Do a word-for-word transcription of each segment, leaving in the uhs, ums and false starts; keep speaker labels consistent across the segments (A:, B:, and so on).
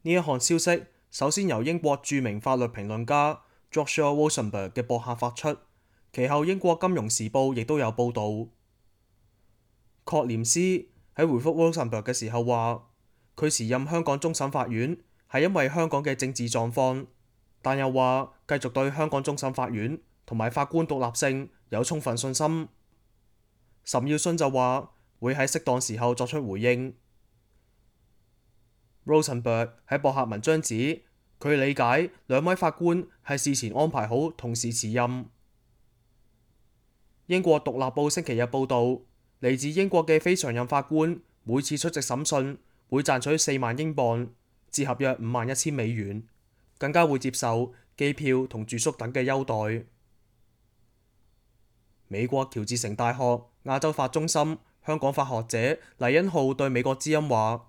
A: 呢一項消息首先由英國著名法律評論家 Joshua Rosenberg 嘅博客發出，其後英國金融時報亦都有報導。確廉斯喺回覆 Rosenberg 嘅時候話，佢辭任香港終審法院係因為香港嘅政治狀況，但又話繼續對香港終審法院同埋法官獨立性有充分信心。岑耀信就話會喺適當時候作出回應。Rosenberg 喺博客文章指，佢理解兩位法官係事前安排好同時辭任。英國獨立報星期日報導，嚟自英國嘅非常任法官每次出席審訊會賺取四萬英鎊，折合約五萬一千美元，更加會接受機票同住宿等嘅優待。美國喬治城大學亞洲法中心香港法學者黎恩浩對美國之音話，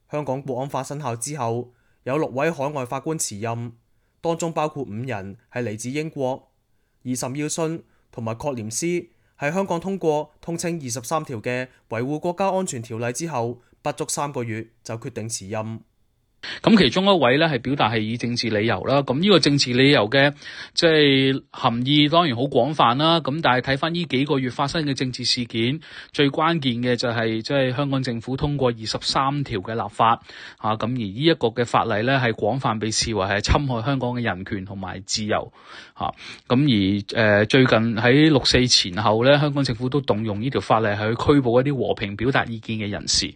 A: 香港國安法生效之後，有六位海外法官辭任，當中包括五人係嚟自英國，而岑耀信同埋確廉斯喺香港通過通稱二十三條嘅維護國家安全條例之後，不足三個月就決定辭任。
B: 咁其中一位咧係表達係以政治理由啦，咁呢個政治理由嘅即係含義當然好廣泛啦。咁但係睇翻呢幾個月發生嘅政治事件，最關鍵嘅就係即係香港政府通過二十三條嘅立法啊，咁而呢一個嘅法例咧係廣泛被視為係侵害香港嘅人權同埋自由嚇。咁、啊、而誒、呃、最近喺六四前後咧，香港政府都動用呢條法例係去拘捕一啲和平表達意見嘅人士。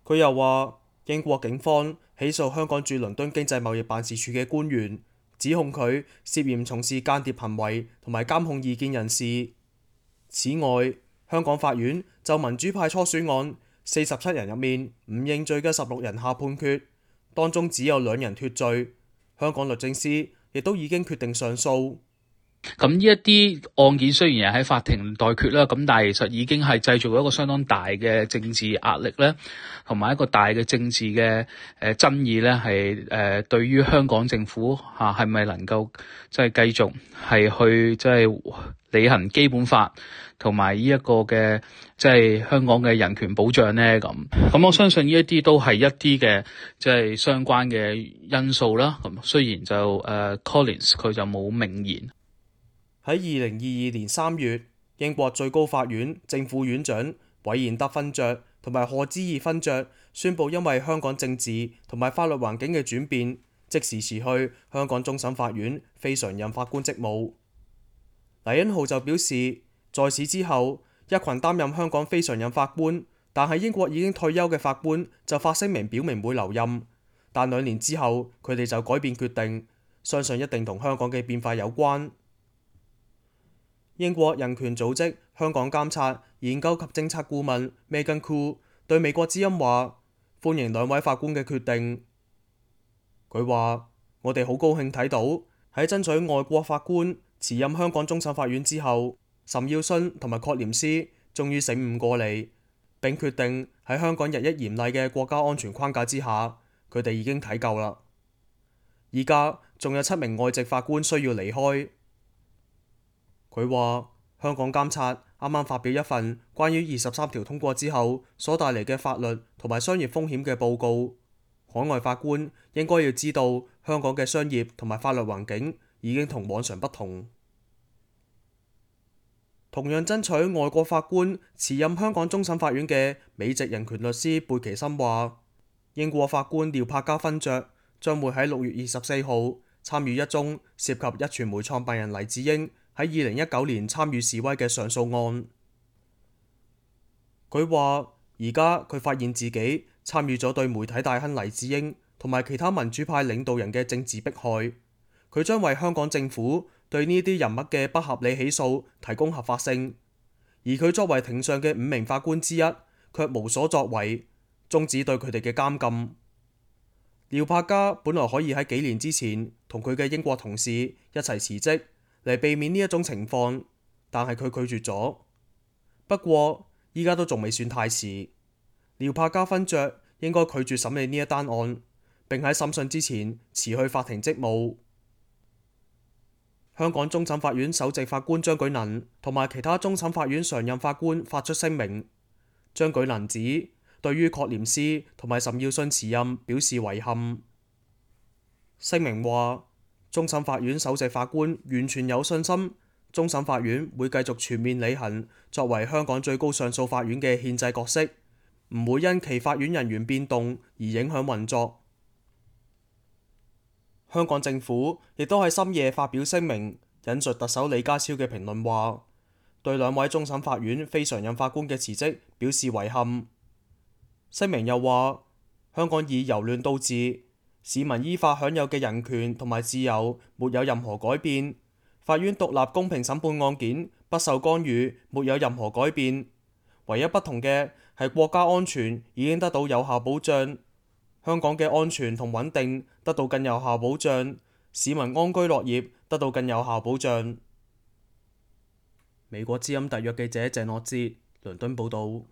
A: 佢又話，英國警方起訴香港駐倫敦經濟貿易辦事處嘅官員，指控佢涉嫌從事間諜行為同埋監控異見人士。此外，香港法院就民主派初選案四十七人入面唔認罪嘅十六人下判決，當中只有兩人脫罪。香港律政司亦都已經決定上訴。
B: 咁呢一啲案件雖然係喺法庭待決啦，咁但係其實已經係製造咗一個相當大嘅政治壓力咧，同埋一個大嘅政治嘅誒爭議咧，係誒對於香港政府嚇係咪能夠即係繼續係去即係履行基本法同埋呢一個嘅即係香港嘅人權保障咧？咁咁我相信呢一啲都係一啲嘅即係相關嘅因素啦。咁雖然就誒 Collins 佢就冇明言。
A: 喺二零二二年三月，英國最高法院正副院長韋彥德勳爵同埋賀知義勳爵宣布，因為香港政治同埋法律環境嘅轉變，即時辭去香港終審法院非常任法官職務。黎恩浩就表示，在此之後，一群擔任香港非常任法官，但係英國已經退休嘅法官就發聲明表明會留任，但兩年之後佢哋就改變決定，相信一定同香港嘅變化有關。英國人權組織香港監察研究及政策顧問 Megan Khoo 對美國之音話，歡迎兩位法官嘅決定。佢話，我哋好高興睇到喺爭取外國法官辭任香港終審法院之後，岑耀信同埋確廉斯終於醒悟過嚟，並決定喺香港日益嚴厲嘅國家安全框架之下，佢哋已經睇夠啦。而家仲有七名外籍法官需要離開。佢話，香港監察啱啱發表一份關於二十三條通過之後所帶嚟嘅法律同埋商業風險嘅報告。海外法官應該要知道香港嘅商業同埋法律環境已經同往常不同。同樣爭取外國法官辭任香港終審法院嘅美籍人權律師貝奇森話，英國法官廖柏嘉勳爵將會喺六月二十四號參與一宗涉及壹傳媒創辦人黎智英喺二零一九年參與示威嘅上訴案。佢話而家佢發現自己參與咗對媒體大亨黎智英同埋其他民主派領導人嘅政治迫害，佢將為香港政府對呢啲人物嘅不合理起訴提供合法性，而佢作為庭上嘅五名法官之一，卻無所作為，終止對佢哋嘅監禁。廖柏嘉本來可以喺幾年之前同佢嘅英國同事一齊辭職嚟避免呢一種情況，但係佢拒絕咗。不過依家都仲未算太遲，廖柏嘉勳爵應該拒絕審理呢一單案，並喺審訊之前辭去法庭職務。香港終審法院首席法官張舉能同埋其他終審法院常任法官發出聲明。張舉能指對於確廉斯同埋岑耀信辭任表示遺憾。聲明話，終審法院首席法官完全有信心，終審法院會繼續全面履行作為香港最高上訴法院嘅憲制角色，唔會因其法院人員變動而影響運作。香港政府亦都喺深夜發表聲明，引述特首李家超嘅評論話，對兩位終審法院非常任法官嘅辭職表示遺憾。聲明又話，香港以由亂到治，市民依法享有嘅人權同埋自由沒有任何改變，法院獨立公平審判案件不受干預，沒有任何改變。唯一不同嘅係國家安全已經得到有效保障，香港嘅安全同穩定得到更有效保障，市民安居樂業得到更有效保障。美國之音特約記者鄭樂哲，倫敦報導。